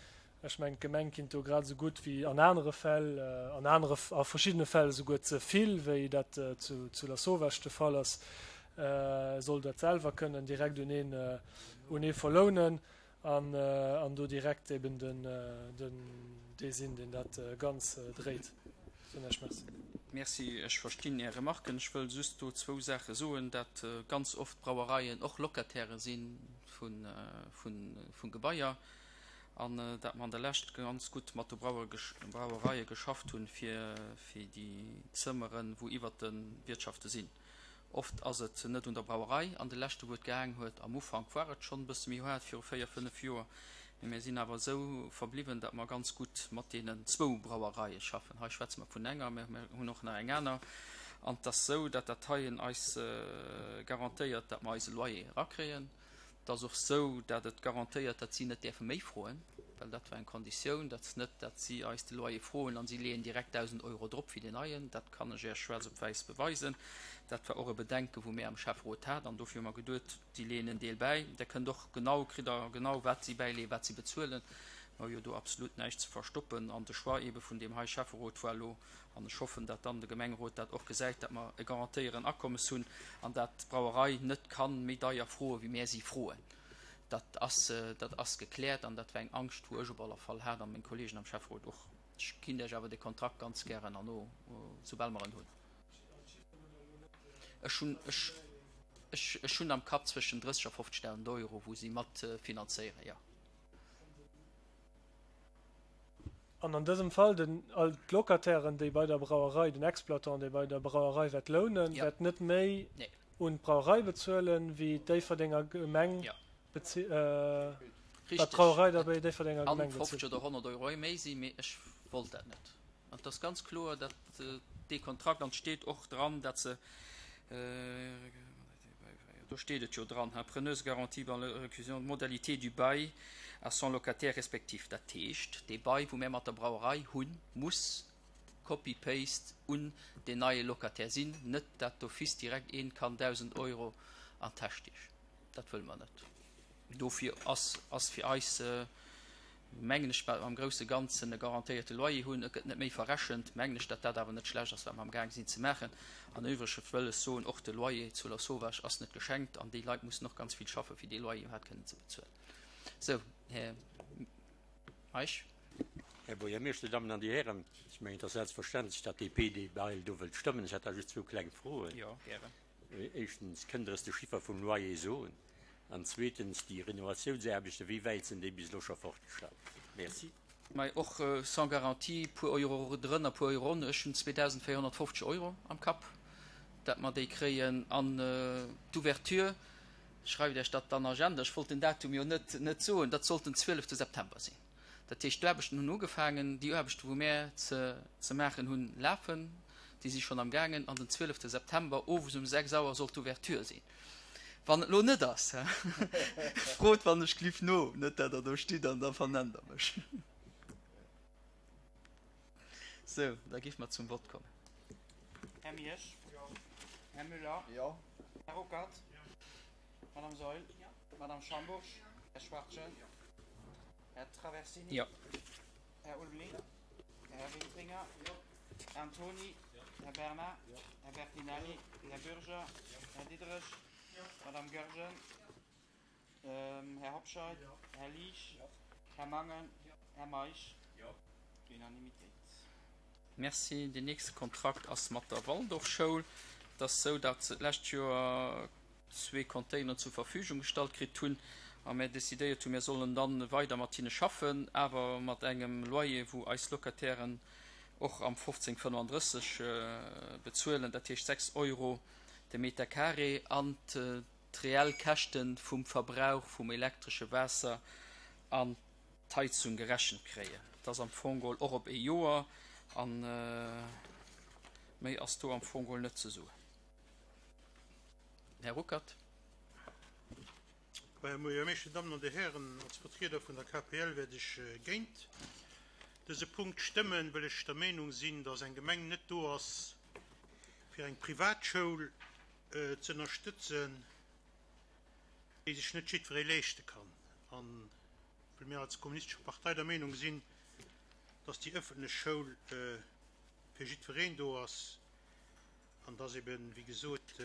Ech mengen, d'Gemeng kinnt do grad esou gutt wéi an anere Fäll, an anere, a verschiddene Fäll esouguer ze vill, wéi dat zu, zu Lasauvage de Fall ass, soll dat selwer kënnen direkt un een, un ee verlounen. An do direkt eben den dee sinn, deen dat Ganz dréit. Soen ech Merci. Merci. Ech verstinn Är Remarken. Ech wëll just do zwou Saache soen, dat ganz oft Brauereien och Locataire si vu Gebaier an dat mer an der Lescht ganz gutt mat de Brauereie geschafft hunn, fir déi Zëmmeren, wou iwwert de Wiertschafte sinn. Oft ass et net un der Brauerei an de leschte wou et gehaang huet. Am Ufank war et schonn e bësse méi haart, viru véier, fënnef Joer, mee mir sinn awer esou verbliwwen, datt mer ganz gutt mat deenen zwou Brauereie schaffen. Hei schwätze mer vun enger, mä mir hunn och nach eng aner. An et ass esou, datt dat heien eis garantéiert, datt mer eise Loyer erakréien. Et ass och esou, datt et garantéiert, datt si net däerfe méi froen, well dat war eng Konditioun, datt net, datt si eis de Loyer froen an si leeën direkt dausend Euro drop wéi deen neien. Dat kann ech Iech schwaarz op wäiss beweisen. Dat war och e Bedenke wou mir am Schäfferot haten an dofir hu mer geduet, si leeën en Deel bäi. Der kënnt och genau, kritt Der genau wat si bäileeën, wat si bezuelen. Mer hu jo do absolut näischt ze verstoppen an de Choix eebe vun deem hei Schäfferot war elo, An ech hoffen, dat dann de Gemengerot dat och gesäit, dat mer e garantéieren Akommes hunn an dat d'Brauerei net kann méi deier froe wéi mär si froen. Dat ass, dat ass gekläert an dat war eng Angscht, wou ech op aller Fall hat a meng Kollegen am Schäfferot och. Ech ginn lech awer de Kontrakt ganz gären herno, soubal mer en hunn. Ech hunn, ech, ech, ech hunn am Kapp zwëschen drësseg a fofzegdausend Euro, wou si mat finanzéieren, jo. An an dësem Fall den, all d'Locatairen, déi bei der Brauerei, den Exploitant, dee bei der Brauerei wäert lounen, wäert net méi un d'Brauerei bezuelen, wéi d'Déifferdenger Gemeng wat d'Brauerei da bei Déifferdenger Gemeng bezilt. Fofzeg oder honnert Euro méi sinn, mee ech wollt dat net. An et ass ganz kloer, datt dee Kontrakt, an et steet och dran, datt se Do steet et jo dran, hein, preneuse garantie par la récusation modalité du bail à son locataire respectif. Dat heescht, dee Bail, wou mir mat der Brauerei hunn, muss copy-paste un deen neie Locataire sinn, net dat d'office direkt een kann dausend Euro an d'Täsch stiechen. Dat wëlle mer net. Dofir ass, ass fir eis, mengen ech, well mer am grousse Ganzen e garantéierte Loyer hunn, et gëtt net méi verrechent, mengen ech, datt dat awer net schlecht ass, wat mer amgaang sinn ze maachen. An üwrege wëll ech soen, och de Loyer zu Lasauvage ass net geschenkt an déi Leit mussen och ganz vill schaffen, fir dee Loyer iwwerhaapt kënnen ze bezuelen. Sou, Här Meisch. Här Buergermeeschter, Dir Dammen an Dir Hären, ech mengen, et ass selbstverständlech, datt d'D P dee Bail do wëllt stëmmen. Ech hätt da just zwou kleng Froen. Jo, gären. Éischtens, kënnt Der eis de Chiffer vum Loyer soen? An zweetens, déi Renovatiounsaarbechten, wéi wäit sinn déi bis elo scho fortgeschratt? Merci. Mä och sans garantie, puer Euro drënner, puer Euro ronn. Ech hunn zweedausendvéierhonnertfofzeg Euro am Kapp, dat mer déi kréien. An d'Ouverture, schreift Iech dat an Agenda, ech wollt den Datum jo net net soen, dat sollt den zwielefte September sinn. Dat heescht, d'Aarbechten hunn ugefaangen, déi Aarbechten, wou mär ze ze maachen hunn, lafen, déi si schonn am gaangen. An den zwielefte September owes um sechs Auer soll d'Ouverture sinn. Wann et elo net ass, frot wann ech gliff no, net dat Der do stitt an da vernennt Der mech. Sou, da géife mer zum Vott kommen. Här Miersch? Här Müller? Här Ruckert? Madame Saeul? Madame Schambourg? Här Schwachtgen? Här Traversini? Jo. Här Ulveling? Här Wintringer? Här Antoni? Här Bernard? Här Bertinelli? Här Bürger? Här Diderich? Madame Goergen? Här Hobscheit? Här Liesch? Här Mangen? Här Meisch? Unanimitéit. Merci. Deen nächste Kontrakt ass mat der Waldorfschoul. Et ass esou, datt se d'lescht Joer zwee Containeren zur Verfügung gestallt kritt hunn a mär decidéiert hunn, mär sollen dann weider mat hinne schaffen, awer mat engem Loyer, wou eis Locatairen och am fofzéng fënnefandrësseg bezuelen, dat heescht sechs Euro de Meter carré, an d'reell Käschte vum Verbrauch vum elektresche Waasser an d'Heizung gerechent kréien. Dat ass am Fong geholl och op ee Joer a méi ass do am Fong geholl net ze soen. Här Ruckert. Här Buergermeeschter, Dir Dammen an Dir Hären, als Vertrieder vun der K P L wäert ech géint dëse Punkt stëmmen, well ech der Meenung sinn, datt eng Gemeng net do ass, fir eng Privatschoul ze ënnerstëtzen, déi sech net jiddweree leeschte kann. An well mir als Kommunistesche Partei der Meenung sinn, datt déi ëffentlech Schoul fir jiddwereen do ass an datt eben, wéi gesot,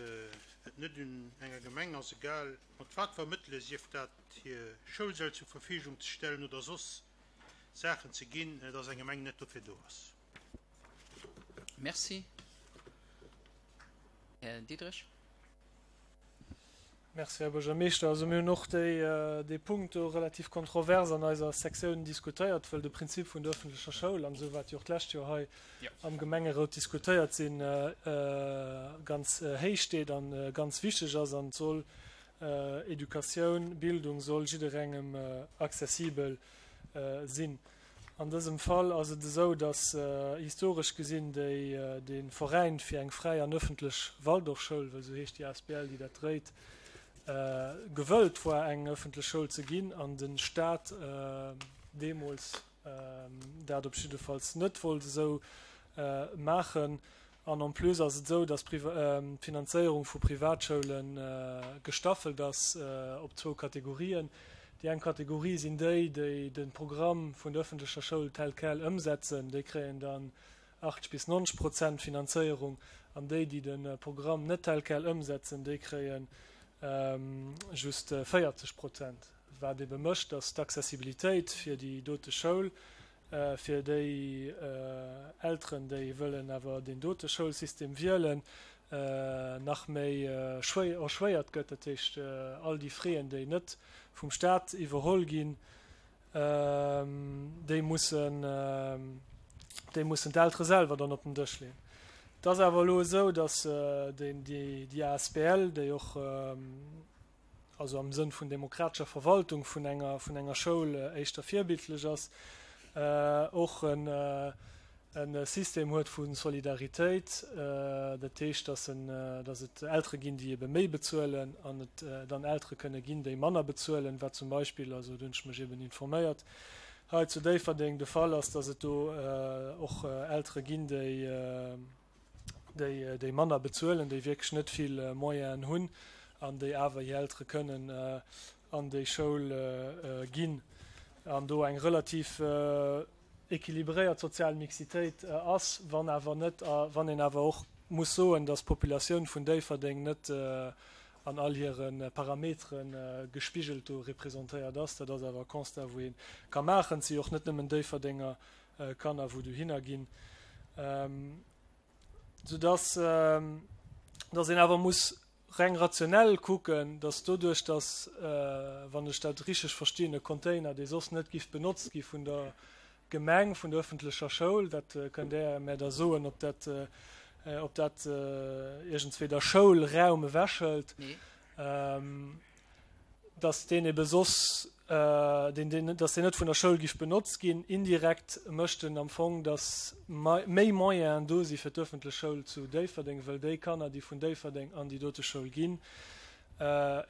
et net un enger Gemeng ass, egal mat wat fir Mëttele, sief dat hir Schoulsäll zur Verfügung ze stellen oder soss Saachen ze ginn, datt eng Gemeng net dofir do ass. Merci. Här Diderich. Merci, Här Buergermeeschter. Also mir hunn och déi, dee Punkt do relativ kontrovers an eiser Sektioun diskutéiert, well de Prinzip vun der öffentlecher Schoul an esou, wat jo och d'lescht Joer hei am Gemengerot diskutéiert sinn, ganz héich steet an ganz wichteg ass an soll Educatioun, Bildung soll jidderengem accessibel sinn. An dësem Fall ass et esou, datt historesch gesinn déi, de Veräin fir eng fräi an ëffentlech Waldorfschoul, well esou heescht déi A S B L, déi dat dréit, gewëllt war, eng ëffentlech Schoul ze ginn, an de Staat deemools dat op jiddefalls net wollt esou maachen. An en plus ass et esou, datt d'Finanzéierung vu Privatschoule gestaffelt ass op zwou Kategorien. Déi eng Kategorie sinn déi, déi de Programm vun der ëffentlecher Schoul tel quel ëmsetzen, déi kréien dann achtzeg bis neunzeg Prozent Finanzéierung, an déi, déi de Programm net tel quel ëmsetzen, déi kréie just véierzeg Prozent. Wat ebe mécht, datt d'Accessibilitéit fir déi dote Schoul, fir déi Elteren, déi wëllen awer deen dote Schoulsystem wielen, nach méi erschwéiert gëtt. Dat heescht, all déi Frais, déi net vum Staat iwwerholl ginn, déi mussen, déi mussen d'Eltere selwer dann op den Dësch leeën. Et ass awer elo esou, datt déi, déi A S B L, déi och also am Sënn vun demokratescher Verwaltung vun enger, vun enger Schoul éischter virbildlech ass, och en e System huet vu Solidaritéit, dat heescht, dass en, dass et Eltere ginn, déi ebe méi bezuelen an et dann Eltere kënne ginn, déi manner bezuelen, wat zum Beispill, also do hunn ech mech eben informéiert, hei zu Déifferdeng de Fall ass, dass et do och Eltere ginn, déi, déi, déi manner bezuelen, déi wierklech net vill Moyenen hunn an déi awer hir Eltere kënnen an déi Schoul ginn an do eng relativ équilibréiert sozial Mixitéit ass, wann awer net, wann een awer och muss soen, dass d'Populatioun vun Déifferdeng net an all hire Parametere gespigelt do representéiert ass. Dat ass awer e Constat, wou ee ka maachen. Et si jo och net nëmmen Déifferdenger Kanner, wou dohinner ginn, soudass dass een awer muss reng rationell kucken, dass doduerch, dass, wann ech dat richteg verstinn, e Container, dee soss net giff benotzt gi vun der Gemeng, vun der öffentlecher Schoul, dat kënnt Där mär da soen, ob dat, ob dat iergendswéi der Schoul Raum ewechhëlt, dass deen ebe soss, deen, deen, dass deen net vun der Schoul giff benotzt ginn. Indirekt mécht en am Fong, dass méi Moyenen do si fir d'öffentlech Schoul zu Déifferdeng, wëll déi Kanner, déi vun Déifferdeng an déi dote Schoul ginn,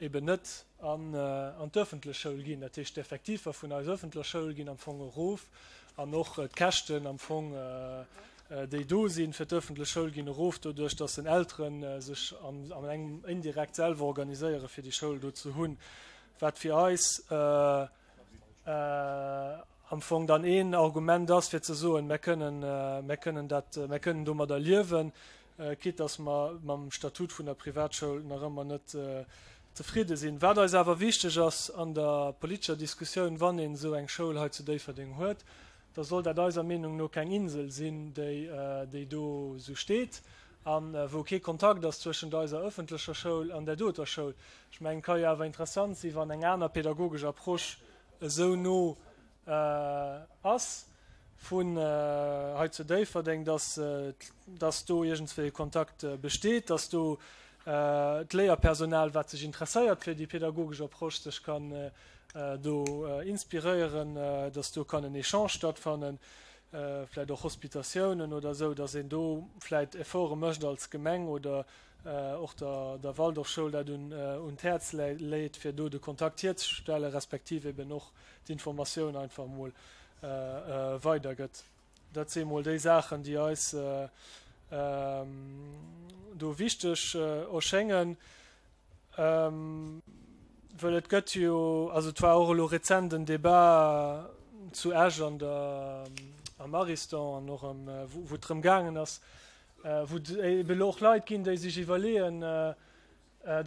eben net an an d'öffentlech Schoul ginn. Dat heescht, d'Effektiver vun eiser öffentlecher Schoul ginn am Fong erof an och d'Käschten am Fong, déi do sinn fir d'öffentlech Schoul, ginn erof, doduerch dass den Eltere sech an engem indirekt selwer organiséiere fir déi Schoul do ze hunn, wat fir eis am Fong dann een Argument ass fir ze soen, mär kënnen, mär kënnen dat, mär kënnen domadder liewen, quitte dass mer mam Statut vun der Privatschoul nach ëmmer net zefridde sinn. Wat eis awer wichteg ass an der politescher Diskussioun, wann een esou eng Schoul hei zu Déifferdeng huet, da soll dat eiser Meenung no keng Insel sinn, déi, déi do esou steet a wou kee Kontakt ass zwëschent eiser öffentlecher Schoul an där doter Schoul. Ech mengen, et ka jo awer interessant sinn, wann eng aner pedagogesch Approche esou no ass vun hei zu Déifferdeng, dass, dass do iergendswéi e Kontakt besteet, dass do d'Léierpersonal, wat sech interesséiert fir déi pedagogesch Approche, sech kann do inspiréieren, dass do kann en Echange stattfannen, vläicht och Hospitatiounen oder esou, dass een do vläicht Efforte mécht als Gemeng oder och der, der Waldorfschoul dat un, un d'Häerz leet, fir do de Kontakt hierzestellen, respektiv eben och d'Informatioun einfach emol weidergëtt. Dat si emol déi Saachen, déi eis do wichteg erschéngen. Wëll et gëtt jo, also et war och elo rezent en Débat zu Esch an der, am Ariston an och am, wou et drëm gaangen ass, wou et ebe elo och Leit ginn, déi sech iwwerleeën,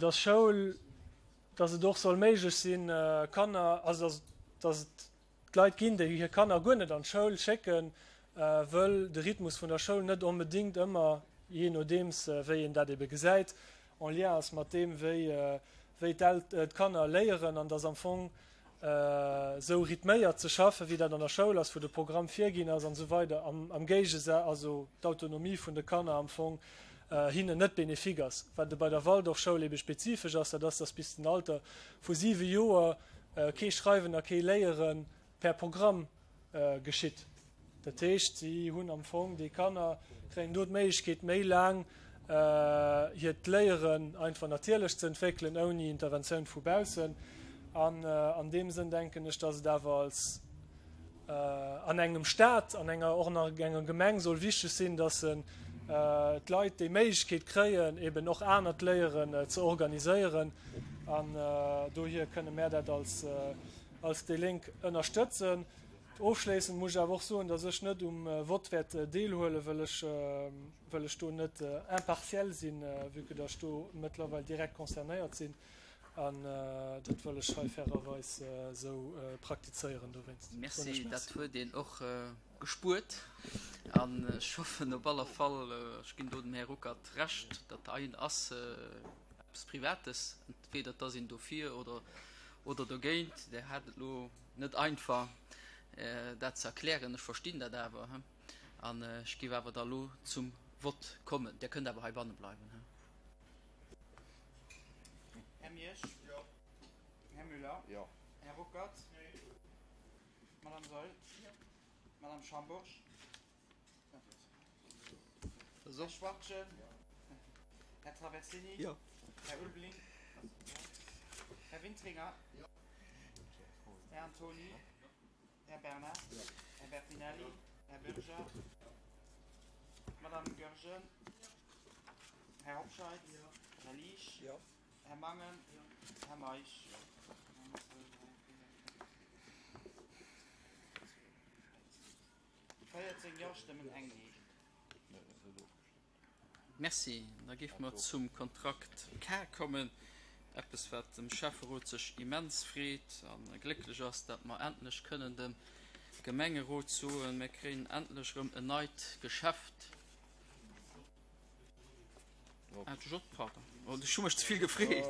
dass Schoul, dass et och soll méiglech sinn, Kanner, also dass, dass et Leit ginn, déi hir Kanner guer net an d'Schoul schécken, wëll de Rhythmus vun der Schoul net onbedéngt ëmmer, jee nodeems wéi een dat ebe gesäit, en lien ass mat deem, wéi, wéi d'Kanner léieren an dass am Fong esou rhythméiert ze schaffen, wéi dat an der Schoul ass, wou de Programm virginn ass an esou weider, am, am Géigesa also d'Autonomie vun de Kanner am Fong hinnen net bénéfique ass. Wat bei der Waldorfschoul ebe spezifesch ass, dat ass, dass bis den Alter vu siwe Joer kee Schreiwen a kee Léiere per Programm geschitt. Dat heescht, si hunn am Fong, déi Kanner kréien do d'Méiglechkeet, méi laang hiert Léieren einfach natierlech ze entwéckelen, ouni Interventioun vu baussen. An an deem Sënn denken ech, dass et awer als an engem Stat, an enger, och an enger Gemeng soll wichteg sinn, dass d'Leit déi Méiglechkeet kréien, eben och anert Léieren ze organiséieren. An dohier kënne mär dat als, als déi Lénk ënnerstëtzen. Ofschléissend muss ech awer och soen, dass ech net um Vott wäert deelhuelen, wëll ech, wëll ech do net impartiel sinn, vue que dass ech do mëttlerweil direkt concernéiert sinn. An dat wëll ech hei fairerweis esou praktizéieren. Dowéinst soen Merci, ech dat Merci. huet een och gespuert. An ech hoffen op alle Fall, ech ginn do dem Här Ruckert Recht, dat heien ass eppes Privates, entweder et ass een dofir oder, oder dogéint. Der hat et elo net einfach, dat ze erklären. Ech verstinn dat awer. An ech géif awer da elo zum Vott kommen. Dir kënnt awer heibanne bleiwen. Här Miersch? Jo. Här Müller? Jo. Här Ruckert? Nee. Madame Saeul? Jo. Madame Schambourg? Herr Schwartjen. Herr Traversini. Jo. Herr Ulbling. Herr Wintringer. Herr Antoni. Här Bernard. Här Bertinelli. Här Bürger. Madame Görgen. Här Hobscheid. Här Liesch. Här Mangen. Här Meisch. Véierzéng Jo-Stëmmen, eng Nee. Merci. Da géife mer zum Kontrakt K kommen. Eppes, wat dem Schäfferot sech immens freet a glécklech ass, dat mer endlech kënnen dem Gemengerot soen, mir kréien endlech erëm en neit Geschäft. Ah, de J, pardon. Oh, ech hu mech ze vill gefreet.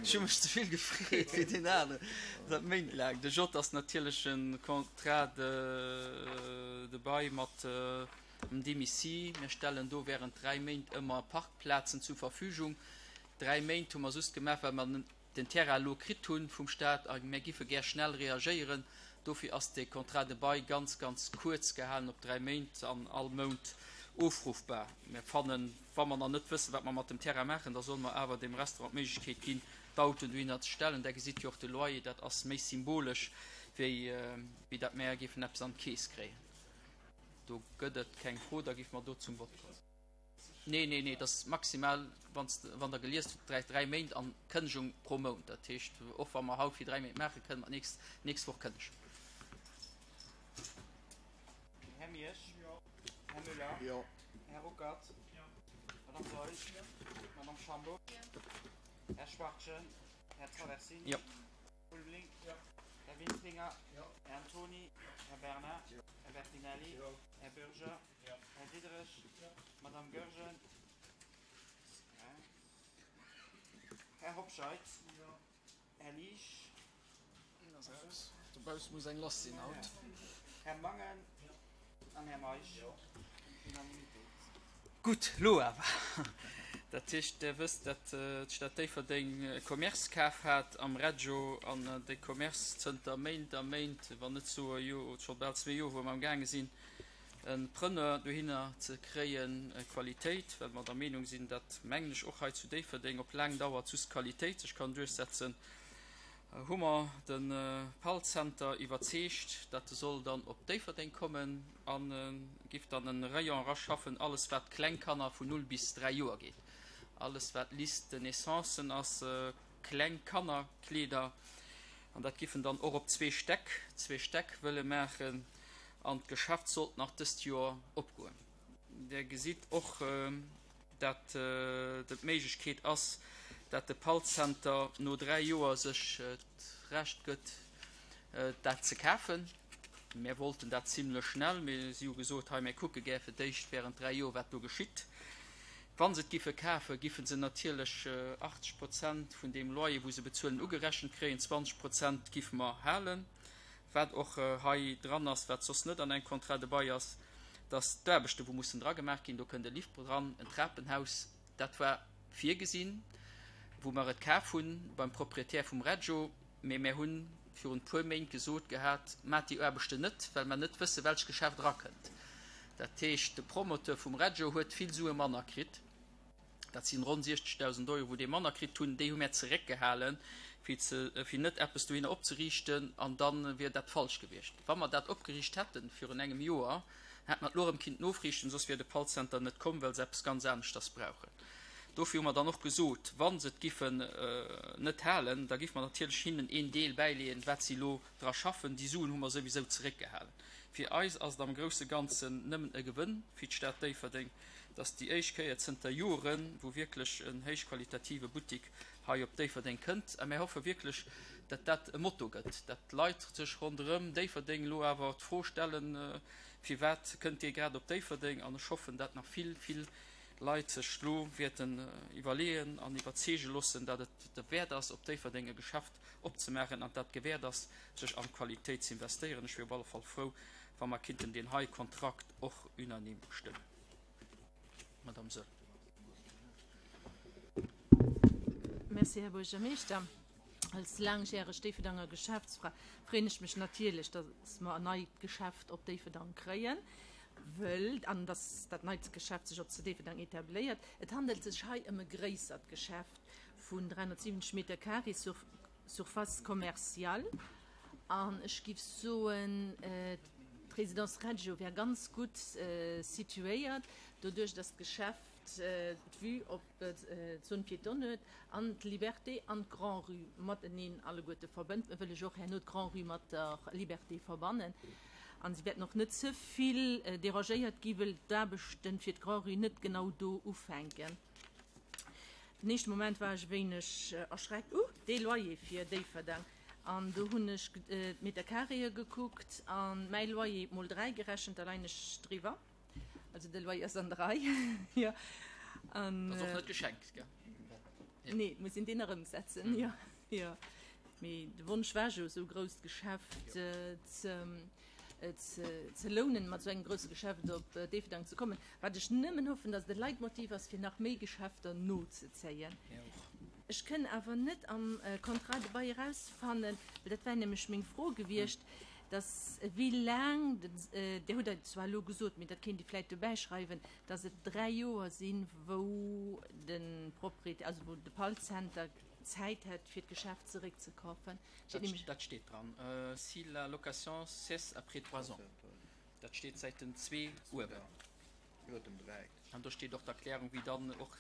Ech hu mech ze vill gefreet fir deen aneren. Dat méint laang. De J ass natierlech e Contrat de, de bail mat dem Demici. Mir stellen do während dräi Méint ëmmer Parkplazen zur Verfügung. Dräi Méint hu mer just gemaach, well mer den Terrain elo kritt hu vum Staat a mir giffe gär schnell reagéieren. Dofir ass dee Contrat de bail ganz, ganz kuerz gehalen op dräi Méint an all Mount ofruffbar. Mir fannen, wa mer nach net wëssen, wat mer mat dem Terrain maachen, da solle mer awer dem Restaurant d'Méiglechkeet ginn, d'Autoen dohinner ze stellen. Der gesitt jo och de Loyer, dat ass méi symbolesch, wéi, wéi dat mer géifen eppes an d'Keess kréien. Do gëtt et keng Fro, da géife mer do zum Vott kommen. Nee, nee, nee, dat ass maximal, wann wann Der geliest hutt, dräi, dräi Méint an Kënnegung pro Mount. Dat heescht, och wa mer haut fir dräi Méint maachen, kënne mer d'nächst, nächst Woch kënnegen. Här Miersch. Här Müller. Jo. Här Ruckert. Madame Saeul. Madame Schambourg. Här Schwachtgen. Här Traversini. Jo. Ulbling. Här Wintringer. Här Antoni. Här Bernard. Här Bertinelli. Här Bürger. Här Diderich. Madame Goergen. Här Hobscheit. Här Liesch. Dobausse muss eng lass sinn haut. Här Mangen an Här Meisch. Unanimitéit. Gutt, lo awer. Dat heescht, Der wësst, datt d'Stad Déifferdeng e Commerce kaf hat am Reggio an dee Commerce zënter Méint a Méint, wann net soe jo scho bal zwee Joer, wou mer amgaange sinn, e Preneur dohinner ze kréien, Qualitéit, well mer der Meenung sinn, datt, mengen ech, och hei zu Déifferdeng op laang Dauer just Qualitéit sech kann duerchsetzen, hu mer de Pall Center iwwerzeegt, datt e soll dann op Déifferdeng kommen a giff dann e Rayon eraschaffen, alles wat kleng Kanner vun null bis dräi Joer geet, alles wat Liste de naissancen ass, kleng Kannerkleeder, an dat giff en dann och op zwee Stäck, zwee Stäck wëlle maachen, an d'Geschäft sollt nach dëst Joer opgoen. Der gesitt och, dat et d'Méiglechkeet ass, dat de Pall Center no dräi Joer sech d'Recht gëtt, dat ze kafen. Mär wollten dat zimlech schnell, mee si hu gesot, hei, mär kucke gär fir d'éischt während dräi Joer, wat do geschitt. Wa se et giffe kafen, giffe se natierlech achtzeg Prozent vun deem Loyer, wou se bezuelen, ugerechent kréien, zwanzeg Prozent giffe mer halen. Wat och hei dran ass, wat soss net an engem Contrat de bail ass, dass d'Aarbechte wou mussen dra gemaach ginn, do kënnt e Lift dran, en Trapenhaus, dat war virgesinn, wou mer et kaf hunn beim Proprietär vum Reggio, mee mär hunn virun e puer Méint gesot gehat, Maacht déi Aarbechten net, well mer net wësse welch Geschäft erakënnt. Dat heescht, de Promoteur vum Reggio huet vill Sue manner kritt. Dat sinn ronn siechzegdausend Euro, wou dee manner kritt hunn. Déi hu mär zeréckgehalen, fir ze, fir net eppes dohinner opzeriichten, an da wier dat falsch gewiescht. Wa mer dat opgeriicht hätten virun engem Joer, hätt mer et elo erëm kinnt nofriichten, soss wier de Pall Center net komm, well se eppes ganz aneschters brauchen. Dofir hu mer dann och gesot, wa se et giffen net halen, da giffe mer natierlech hinnen een Deel bäileeën, wat si elo dra schaffen. Déi Suen hu mer souwisou zeréckgehalen. Fir eis ass et am grousse Ganzen nëmmen e Gewënn fir d'Stad Déifferdeng, dass déi éischt Kéier zënter Joren, wou wierklech en héichqualitative Buttik hei op Déifferdeng kënnt. A mir hoffe wierklech, dat dat e Motto gëtt, dat d'Leit sech ronderëm Déifferdeng elo awer d'Fro stellen, Firwat kënnt dee grad op Déifferdeng? An ech hoffen, dat nach vill, vill Leit sech elo wäerten iwwerleeën an iwwerzeege loossen, dat et derwäert ass, op Déifferdeng e Geschäft opzemaachen an dat gewäert ass, sech an d'Qualitéit ze investéieren. Ech wier op alle Fall frou, wa mer kinnten deen hei Kontrakt och unanime stëmmen. Madame Saeul. Merci, Här Buergermeeschter. Als laangjäreg Déifferdenger Geschäftsfra freeën ech mech natierlech, dass mer en neit Geschäft op Déifferdeng kréien. wëll an dass dat neit Geschäft sech och zu Déifferdeng etabléiert. Et handelt sech hei ëm e gréissert Geschäft vun dräihunnertsiwwenzeg Meter carré sur Surface commerciale. An ech giff soen, d'Résidence Reggio wär ganz gutt situéiert, doduerch dass d'Geschäft d'Vue op d'Zone piétonne huet an d'Liberté an d'Grand-Rue mateneen alleguerte verbënnt. Mir wëlle jo och herno d'Grand-Rue mat der Liberté verbannen. An si wäerten och net ze vill dérangéiert gi wëll d'Aarbechten fir d'Grand-Rue net genau do ufänken. Den éischte Moment war ech e wéineg erschreckt, Uh, dee Loyer fir Déifferdeng! An do hunn ech d'Metercarréë gekuckt a mäi Loyer mol dräi gerechent, da leien ech driwwer. Also de Loyer ass an der Rei, jo. An, Ass och net geschenkt, gell? Nee, et muss een deen erëmsetzen, jo, jo. Mee de Wonsch war jo, esou e grousst Geschäft ze, ze lounen, mat esou engem grousse Geschäft op Déifferdeng ze kommen. Wat ech nëmmen hoffen, datt et e Leitmotiv ass, fir nach méi Geschäfter nozezéien. Ech kënn awer net am Contrat de bail erausfannen, well dat wär nämlech meng Fro gewiescht, dass wéi laang, Dir hutt et zwar elo gesot, mee dat kéint Dir vläicht dobäischreiwen, dass et dräi Joer sinn, wou de Propriétaire, also wou de Pall-Center Zäit hätt, fir d'Geschäft zeréckzekafen. Dat steet dran, si la location cesse après trois ans. Dat steet Säit den zwee uewen. Iwwer dem dräi. An do steet och d'Erklärung, wéi dann och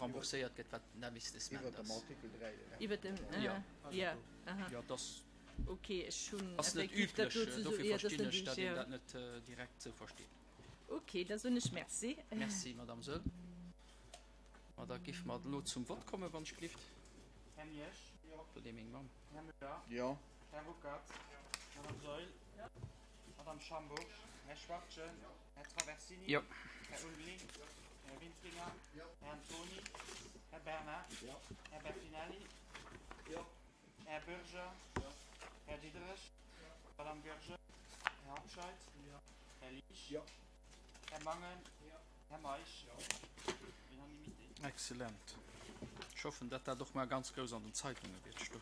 rembourséiert gëtt, wat den Investissement Iwwer dem ass. Artikel dräi. Iwwer dem, Jo. jo, aha. Jo, dass. Ok, ech hunn Ass net effektiv dat üblech, do ze dofir jo, dat ass verstinn net ech, datt üblech, een jo. dat net direkt esou versteet. Ok, da soen ech Merci. Merci, Madame Saeul. Ma da géife mer elo zum Vott kommen, wann ech gelift. Här Miesch. Do dee meng Mamm. Här Müller. Jo. Här Ruckert. Madame Saeul. Madame Schambourg. Här Schwachtgen. Här Traversini. Jo. Här Ulveling. Här Wintringer. Här Antoni. Här Bernard. Här Bertinelli. Här Bürger. Här Diderich. Madame Goergen. Här Hobscheit. Här Liesch. Här Mangen. Här Meisch. Unanimité. Excellent. Ech hoffen, datt dat och mar ganz grouss an den Zeitunge wäert stoen.